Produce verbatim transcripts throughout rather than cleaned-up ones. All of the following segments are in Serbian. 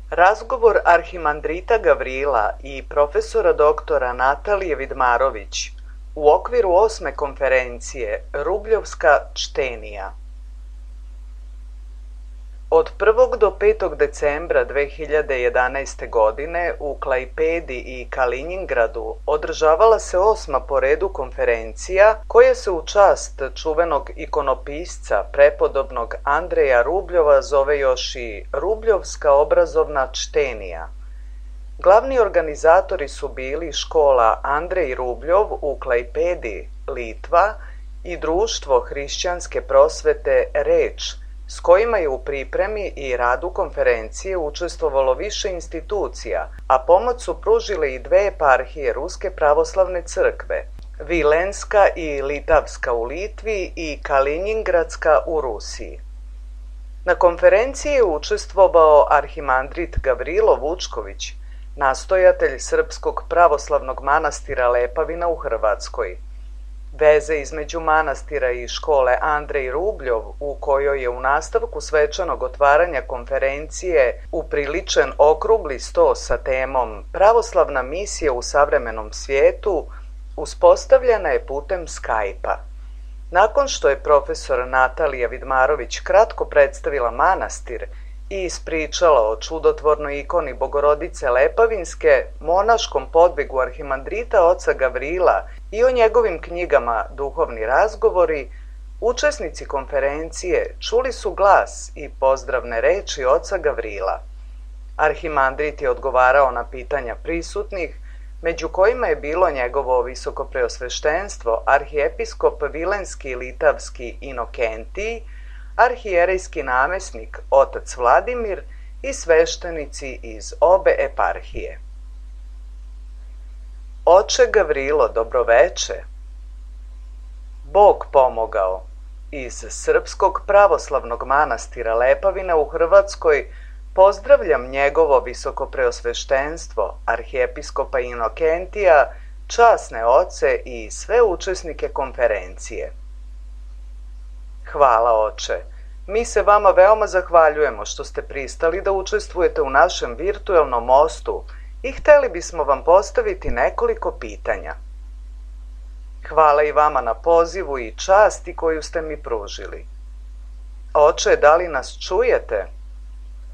Razgovor arhimandrita Gavrila i profesora doktora Natalije Vidmarović u okviru osme konferencije Rubljovska čtenija. Od prvog do petog decembra dve hiljade jedanaeste. godine u Klajpedi i Kalinjingradu održavala se osma po redu konferencija koja se u čast čuvenog ikonopisca prepodobnog Andreja Rubljova zove još i Rubljovska obrazovna čtenija. Glavni organizatori su bili škola Andrej Rubljov u Klajpedi, Litva, i društvo hrišćanske prosvete Reč, s kojima je u pripremi i radu konferencije učestvovalo više institucija, a pomoć su pružile i dve eparhije Ruske pravoslavne crkve, Vilenska i Litavska u Litvi i Kalinjingradska u Rusiji. Na konferenciji je učestvovao arhimandrit Gavrilo Vučković, nastojatelj Srpskog pravoslavnog manastira Lepavina u Hrvatskoj. Veze između manastira i škole Andrej Rubljov, u kojoj je u nastavku svečanog otvaranja konferencije upriličen okrugli sto sa temom Pravoslavna misija u savremenom svijetu, uspostavljena je putem Skype-a. Nakon što je profesor Natalija Vidmarović kratko predstavila manastir i ispričala o čudotvornoj ikoni Bogorodice Lepavinske, monaškom podvigu arhimandrita oca Gavrila i o njegovim knjigama Duhovni razgovori, učesnici konferencije čuli su glas i pozdravne reči oca Gavrila. Arhimandrit je odgovarao na pitanja prisutnih, među kojima je bilo njegovo visokopreosveštenstvo, arhijepiskop Vilenski i Litavski Inokentij, arhijerejski namesnik otac Vladimir i sveštenici iz obe eparhije. Oče Gavrilo, dobroveče. Bog pomogao. Iz Srpskog pravoslavnog manastira Lepavina u Hrvatskoj pozdravljam njegovo visokopreosveštenstvo, arhijepiskopa Inokentija, časne oce i sve učesnike konferencije. Hvala, oče. Mi se vama veoma zahvaljujemo što ste pristali da učestvujete u našem virtuelnom mostu i hteli bismo vam postaviti nekoliko pitanja. Hvala i vama na pozivu i časti koju ste mi pružili. Oče, da li nas čujete?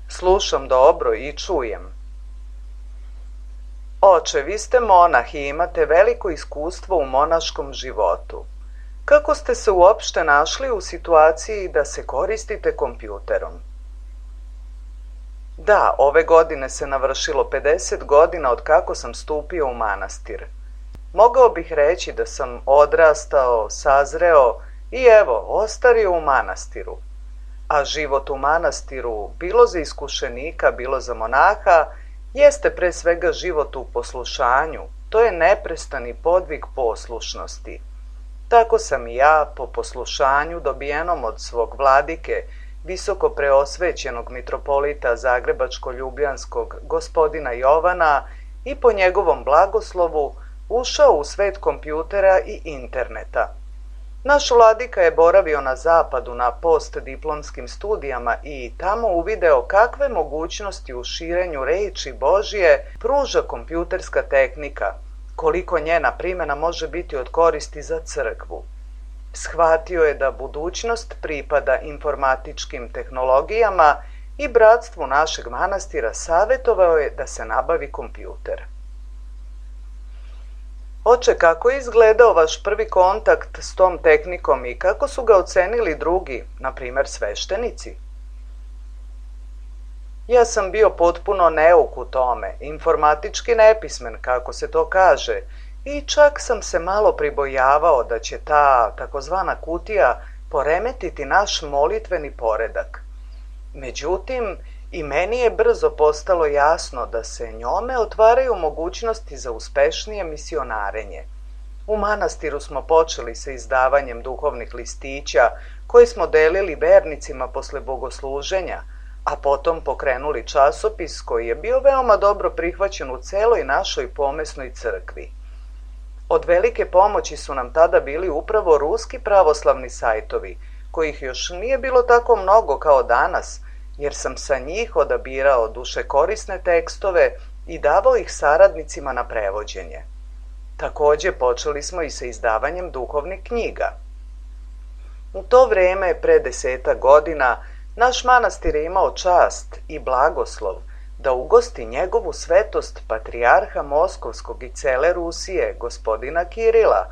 Slušam dobro i čujem. Oče, vi ste monah i imate veliko iskustvo u monaškom životu. Kako ste se uopšte našli u situaciji da se koristite kompjuterom? Da, ove godine se navršilo pedeset godina od kako sam stupio u manastir. Mogao bih reći da sam odrastao, sazreo i evo, ostario u manastiru. A život u manastiru, bilo za iskušenika, bilo za monaha, jeste pre svega život u poslušanju. To je neprestani podvig poslušnosti. Tako sam i ja, po poslušanju dobijenom od svog vladike, visoko preosvećenog mitropolita Zagrebačko-Ljubljanskog gospodina Jovana, i po njegovom blagoslovu ušao u svet kompjutera i interneta. Naš vladika je boravio na zapadu na postdiplomskim studijama i tamo uvideo kakve mogućnosti u širenju reči Božje pruža kompjuterska tehnika, koliko njena primjena može biti od koristi za crkvu. Shvatio je da budućnost pripada informatičkim tehnologijama i bratstvu našeg manastira savjetovao je da se nabavi kompjuter. Oče, kako je izgledao vaš prvi kontakt s tom tehnikom i kako su ga ocenili drugi, na primjer sveštenici? Ja sam bio potpuno neuk u tome, informatički nepismen, kako se to kaže, i čak sam se malo pribojavao da će ta takozvana kutija poremetiti naš molitveni poredak. Međutim, i meni je brzo postalo jasno da se njome otvaraju mogućnosti za uspešnije misionarenje. U manastiru smo počeli sa izdavanjem duhovnih listića koje smo delili vernicima posle bogosluženja, a potom pokrenuli časopis koji je bio veoma dobro prihvaćen u celoj našoj pomesnoj crkvi. Od velike pomoći su nam tada bili upravo ruski pravoslavni sajtovi, kojih još nije bilo tako mnogo kao danas, jer sam sa njih odabirao dušekorisne tekstove i davao ih saradnicima na prevođenje. Takođe počeli smo i sa izdavanjem duhovnih knjiga. U to vreme, pre desetak godina, naš manastir je imao čast i blagoslov da ugosti njegovu svetost patrijarha Moskovskog i cele Rusije, gospodina Kirila,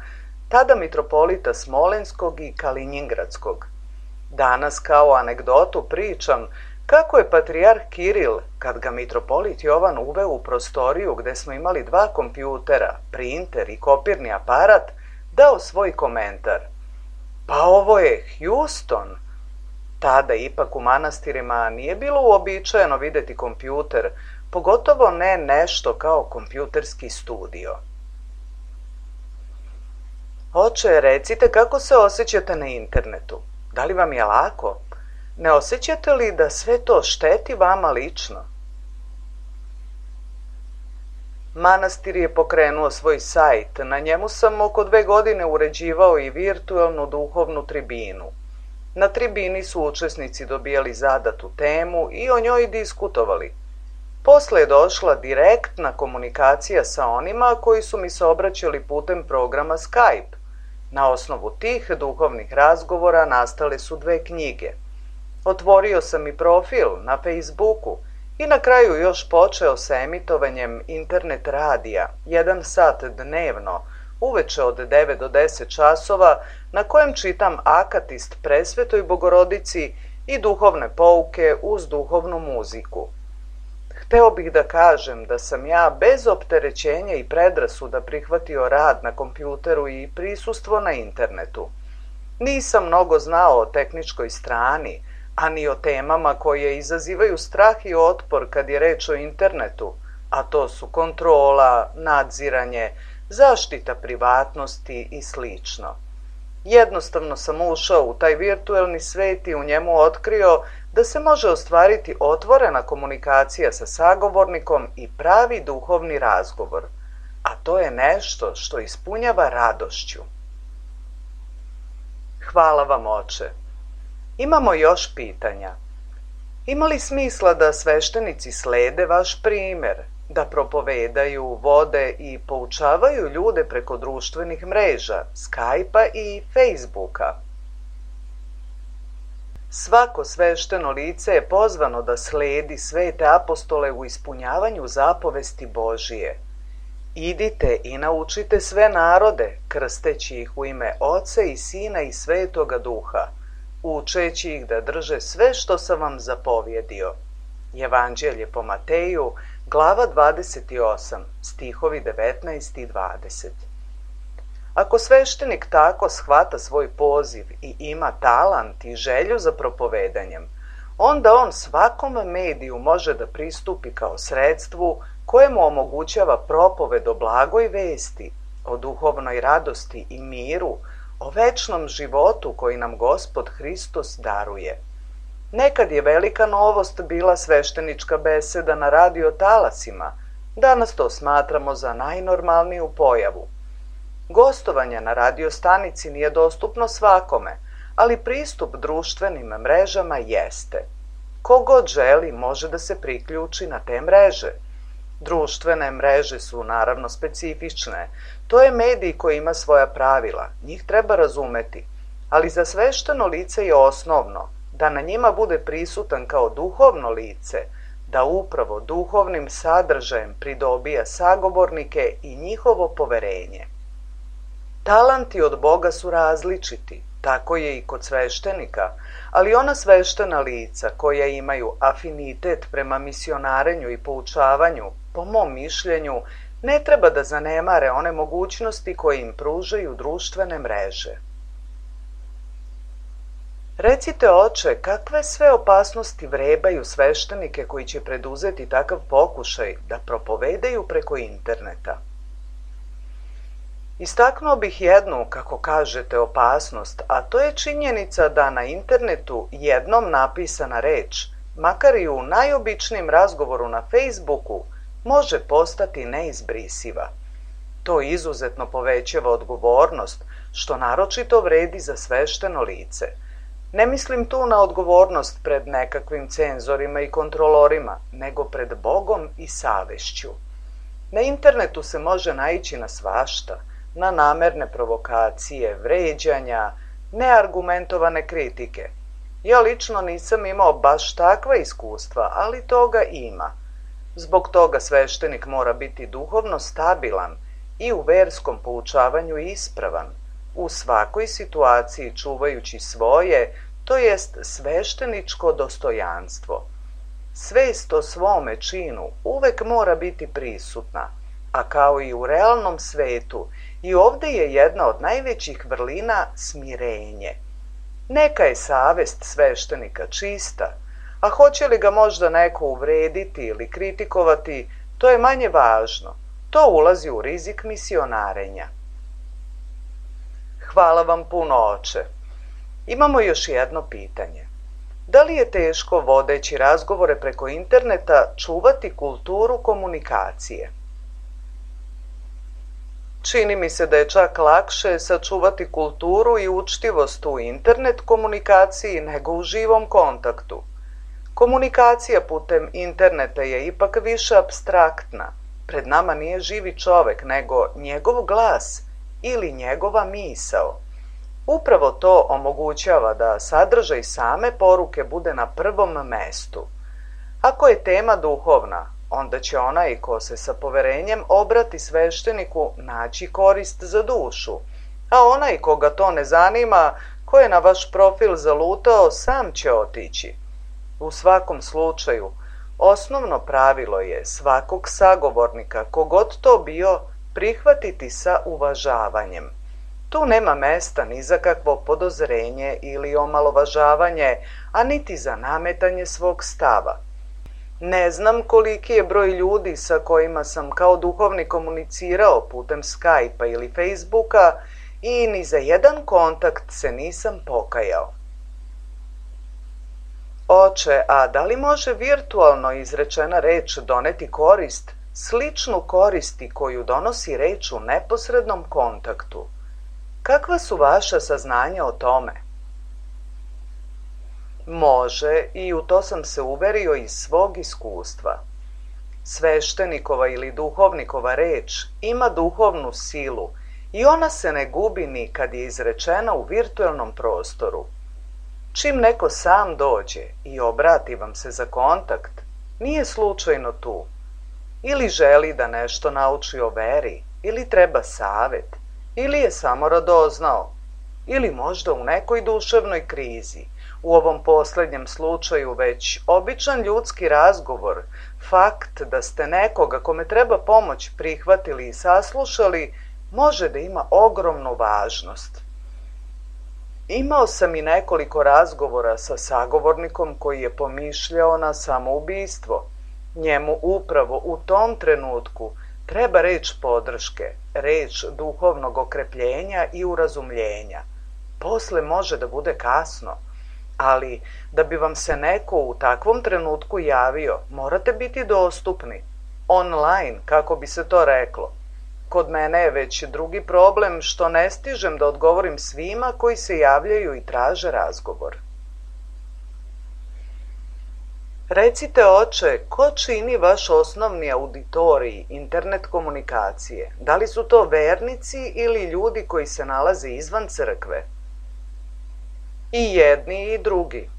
tada mitropolita Smolenskog i Kalinjingradskog. Danas kao anegdotu pričam kako je patrijarh Kiril, kad ga mitropolit Jovan uveo u prostoriju gde smo imali dva kompjutera, printer i kopirni aparat, dao svoj komentar. Pa ovo je Houston. Tada ipak u manastirima nije bilo uobičajeno videti kompjuter, pogotovo ne nešto kao kompjuterski studio. Oče, recite kako se osjećate na internetu. Da li vam je lako? Ne osjećate li da sve to šteti vama lično? Manastir je pokrenuo svoj sajt, na njemu sam oko dve godine uređivao i virtualnu duhovnu tribinu. Na tribini su učesnici dobijali zadatu temu i o njoj diskutovali. Posle je došla direktna komunikacija sa onima koji su mi se obraćali putem programa Skype. Na osnovu tih duhovnih razgovora nastale su dve knjige. Otvorio sam i profil na Facebooku i na kraju još počeo sa emitovanjem internet radija, jedan sat dnevno, uveče od devet do deset časova, na kojem čitam akatist Presvetoj Bogorodici i duhovne pouke uz duhovnu muziku. Hteo bih da kažem da sam ja bez opterećenja i predrasuda prihvatio rad na kompjuteru i prisustvo na internetu. Nisam mnogo znao o tehničkoj strani, a ni o temama koje izazivaju strah i otpor kad je reč o internetu, a to su kontrola, nadziranje, zaštita privatnosti i slično. Jednostavno sam ušao u taj virtuelni svet i u njemu otkrio da se može ostvariti otvorena komunikacija sa sagovornikom i pravi duhovni razgovor, a to je nešto što ispunjava radošću. Hvala vam, oče. Imamo još pitanja. Ima li smisla da sveštenici slede vaš primer, da propovedaju, vode i poučavaju ljude preko društvenih mreža, Skype-a i Facebooka? Svako svešteno lice je pozvano da sledi svete apostole u ispunjavanju zapovesti Božije. Idite i naučite sve narode, krsteći ih u ime Oca i Sina i Svetoga Duha, učeći ih da drže sve što sam vam zapovjedio. Evanđelje po Mateju, glava dvadeset osam, stihovi devetnaest i dvadeset. Ako sveštenik tako shvata svoj poziv i ima talant i želju za propovedanjem, onda on svakom mediju može da pristupi kao sredstvu koje mu omogućava propoved o blagoj vesti, o duhovnoj radosti i miru, o večnom životu koji nam Gospod Hristos daruje. Nekad je velika novost bila sveštenička beseda na radio talasima, danas to smatramo za najnormalniju pojavu. Gostovanje na radio stanici nije dostupno svakome, ali pristup društvenim mrežama jeste. Kogod želi može da se priključi na te mreže. Društvene mreže su naravno specifične, to je medij koji ima svoja pravila, njih treba razumeti, ali za svešteno lice je osnovno da na njima bude prisutan kao duhovno lice, da upravo duhovnim sadržajem pridobija sagovornike i njihovo poverenje. Talanti od Boga su različiti, tako je i kod sveštenika, ali ona sveštena lica koja imaju afinitet prema misionarenju i poučavanju, po mom mišljenju, ne treba da zanemare one mogućnosti koje im pružaju društvene mreže. Recite, oče, kakve sve opasnosti vrebaju sveštenike koji će preduzeti takav pokušaj da propovedaju preko interneta? Istaknuo bih jednu, kako kažete, opasnost, a to je činjenica da na internetu jednom napisana reč, makar i u najobičnijem razgovoru na Facebooku, može postati neizbrisiva. To izuzetno povećava odgovornost, što naročito vredi za svešteno lice. Ne mislim tu na odgovornost pred nekakvim cenzorima i kontrolorima, nego pred Bogom i savešću. Na internetu se može naići na svašta, na namerne provokacije, vređanja, neargumentovane kritike. Ja lično nisam imao baš takva iskustva, ali toga ima. Zbog toga sveštenik mora biti duhovno stabilan i u verskom poučavanju ispravan, u svakoj situaciji čuvajući svoje, to jest svešteničko dostojanstvo. Svest o svome činu uvek mora biti prisutna, a kao i u realnom svetu, i ovde je jedna od najvećih vrlina smirenje. Neka je savest sveštenika čista, a hoće li ga možda neko uvrediti ili kritikovati, to je manje važno. To ulazi u rizik misionarenja. Hvala vam puno, oče. Imamo još jedno pitanje. Da li je teško, vodeći razgovore preko interneta, čuvati kulturu komunikacije? Čini mi se da je čak lakše sačuvati kulturu i učtivost u internet komunikaciji nego u živom kontaktu. Komunikacija putem interneta je ipak više apstraktna. Pred nama nije živi čovek, nego njegov glas ili njegova misao. Upravo to omogućava da sadržaj same poruke bude na prvom mestu. Ako je tema duhovna, onda će onaj ko se sa poverenjem obrati svešteniku naći korist za dušu, a onaj koga to ne zanima, ko je na vaš profil zalutao, sam će otići. U svakom slučaju, osnovno pravilo je svakog sagovornika, kogod to bio, prihvatiti sa uvažavanjem. Tu nema mesta ni za kakvo podozrenje ili omalovažavanje, a niti za nametanje svog stava. Ne znam koliki je broj ljudi sa kojima sam kao duhovnik komunicirao putem Skype-a ili Facebooka i ni za jedan kontakt se nisam pokajao. Oče, a da li može virtualno izrečena reč doneti korist, sličnu koristi koju donosi reč u neposrednom kontaktu? Kakva su vaša saznanja o tome? Može, i u to sam se uverio iz svog iskustva. Sveštenikova ili duhovnikova reč ima duhovnu silu i ona se ne gubi ni kad je izrečena u virtualnom prostoru. Čim neko sam dođe i obrati vam se za kontakt, nije slučajno tu. Ili želi da nešto nauči o veri, ili treba savet, ili je samo radoznao, ili možda u nekoj duševnoj krizi. U ovom poslednjem slučaju već običan ljudski razgovor, fakt da ste nekoga kome treba pomoć prihvatili i saslušali, može da ima ogromnu važnost. Imao sam i nekoliko razgovora sa sagovornikom koji je pomišljao na samoubistvo. Njemu upravo u tom trenutku treba reč podrške, reč duhovnog okrepljenja i urazumljenja. Posle može da bude kasno, ali da bi vam se neko u takvom trenutku javio, morate biti dostupni, online, kako bi se to reklo. Kod mene je već drugi problem što ne stižem da odgovorim svima koji se javljaju i traže razgovor. Recite, oče, ko čini vaš osnovni auditorij internet komunikacije? Da li su to vernici ili ljudi koji se nalaze izvan crkve? I jedni i drugi.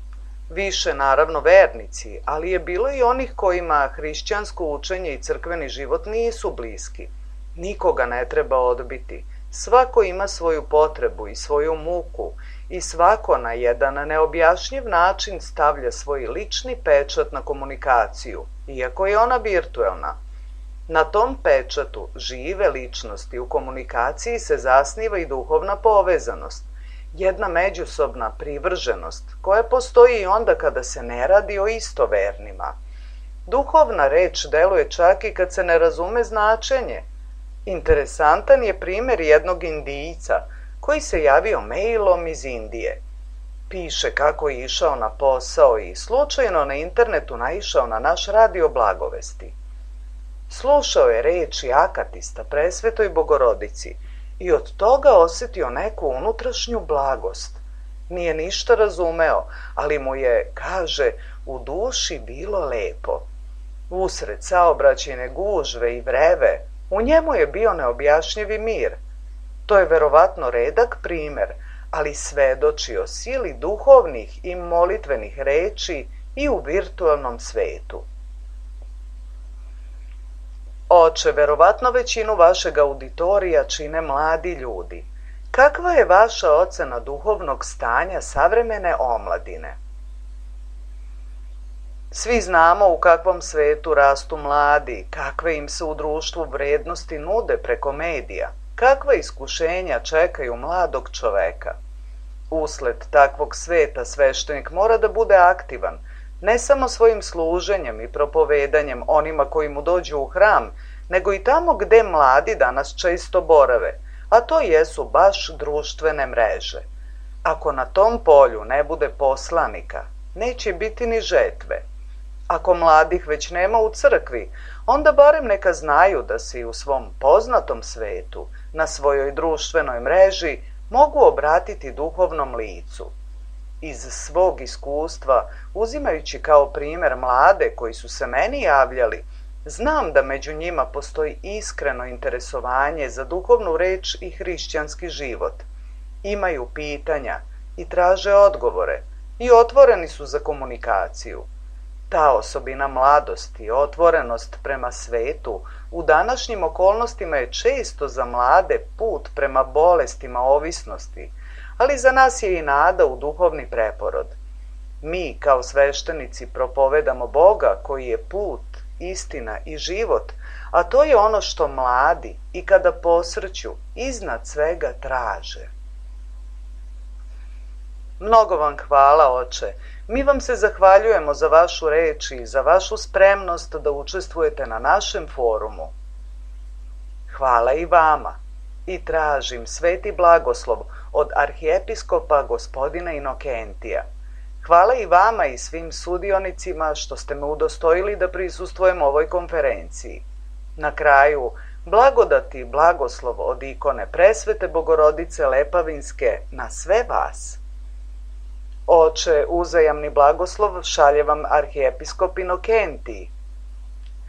Više naravno vernici, ali je bilo i onih kojima hrišćansko učenje i crkveni život nisu bliski. Nikoga ne treba odbiti. Svako ima svoju potrebu i svoju muku i svako na jedan neobjašnjiv način stavlja svoj lični pečat na komunikaciju, iako je ona virtuelna. Na tom pečatu žive ličnosti u komunikaciji se zasniva i duhovna povezanost, jedna međusobna privrženost koja postoji i onda kada se ne radi o istovernima. Duhovna reč deluje čak i kad se ne razume značenje. Interesantan je primjer jednog Indijca koji se javio mailom iz Indije. Piše kako je išao na posao i slučajno na internetu naišao na naš radio blagovesti. Slušao je reči akatista presvetoj Bogorodici i od toga osetio neku unutrašnju blagost. Nije ništa razumeo, ali mu je, kaže, u duši bilo lepo. Usred saobraćajne gužve i vreve, u njemu je bio neobjašnjivi mir. To je verovatno redak primer, ali svedoči o sili duhovnih i molitvenih reči i u virtualnom svetu. Oče, verovatno većinu vašeg auditorija čine mladi ljudi. Kakva je vaša ocena duhovnog stanja savremene omladine? Svi znamo u kakvom svetu rastu mladi, kakve im se u društvu vrednosti nude preko medija, kakva iskušenja čekaju mladog čoveka. Usled takvog sveta sveštenik mora da bude aktivan, ne samo svojim služenjem i propovedanjem onima koji mu dođu u hram, nego i tamo gde mladi danas često borave, a to jesu baš društvene mreže. Ako na tom polju ne bude poslanika, neće biti ni žetve. Ako mladih već nema u crkvi, onda barem neka znaju da se i u svom poznatom svetu, na svojoj društvenoj mreži, mogu obratiti duhovnom licu. Iz svog iskustva, uzimajući kao primer mlade koji su se meni javljali, znam da među njima postoji iskreno interesovanje za duhovnu reč i hrišćanski život. Imaju pitanja i traže odgovore i otvoreni su za komunikaciju. Ta osobina mladosti, otvorenost prema svetu, u današnjim okolnostima je često za mlade put prema bolestima ovisnosti, ali za nas je i nada u duhovni preporod. Mi, kao sveštenici, propovedamo Boga koji je put, istina i život, a to je ono što mladi i kada posrću iznad svega traže. Mnogo vam hvala, oče. Mi vam se zahvaljujemo za vašu reč i za vašu spremnost da učestvujete na našem forumu. Hvala i vama i tražim sveti blagoslov od arhijepiskopa gospodina Inokentija. Hvala i vama i svim sudionicima što ste me udostojili da prisustvujem ovoj konferenciji. Na kraju, blagodati i blagoslov od ikone Presvete Bogorodice Lepavinske na sve vas. Oče, uzajamni blagoslov šalje vam arhijepiskop Inokentij.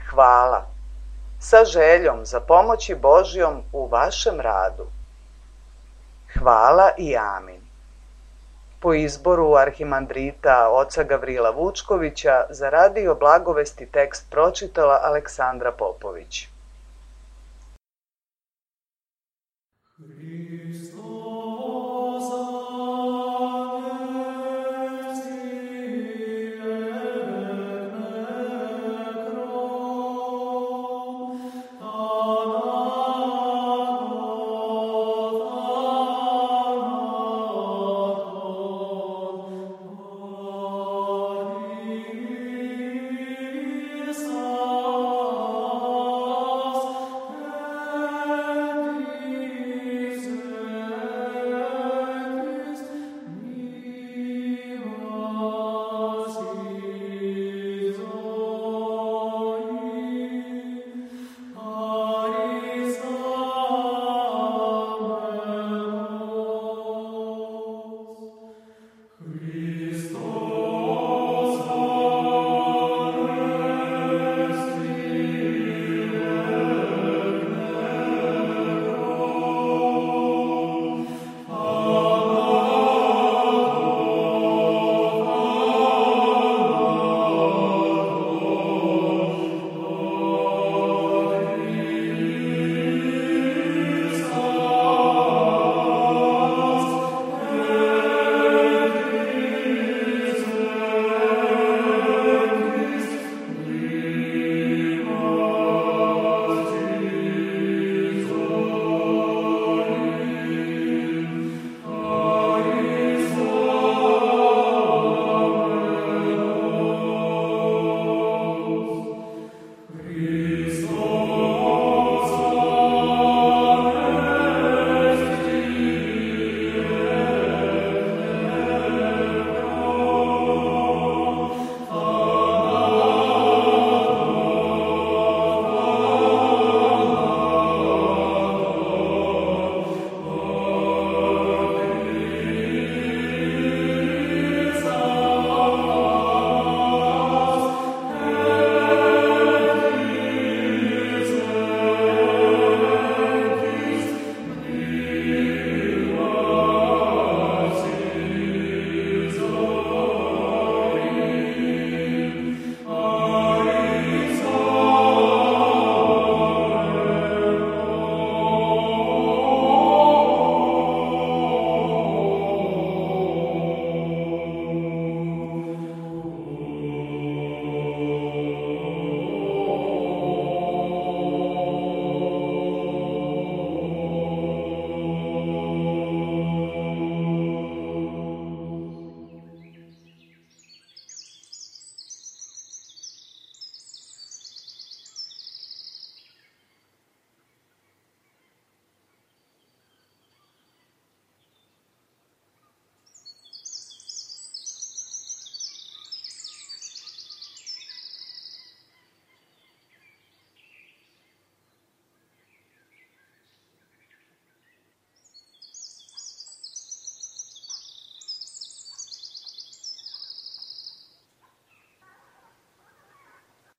Hvala. Sa željom za pomoći Božjom u vašem radu. Hvala i amin. Po izboru arhimandrita oca Gavrila Vučkovića za radio Blagovesti tekst pročitala Aleksandra Popović.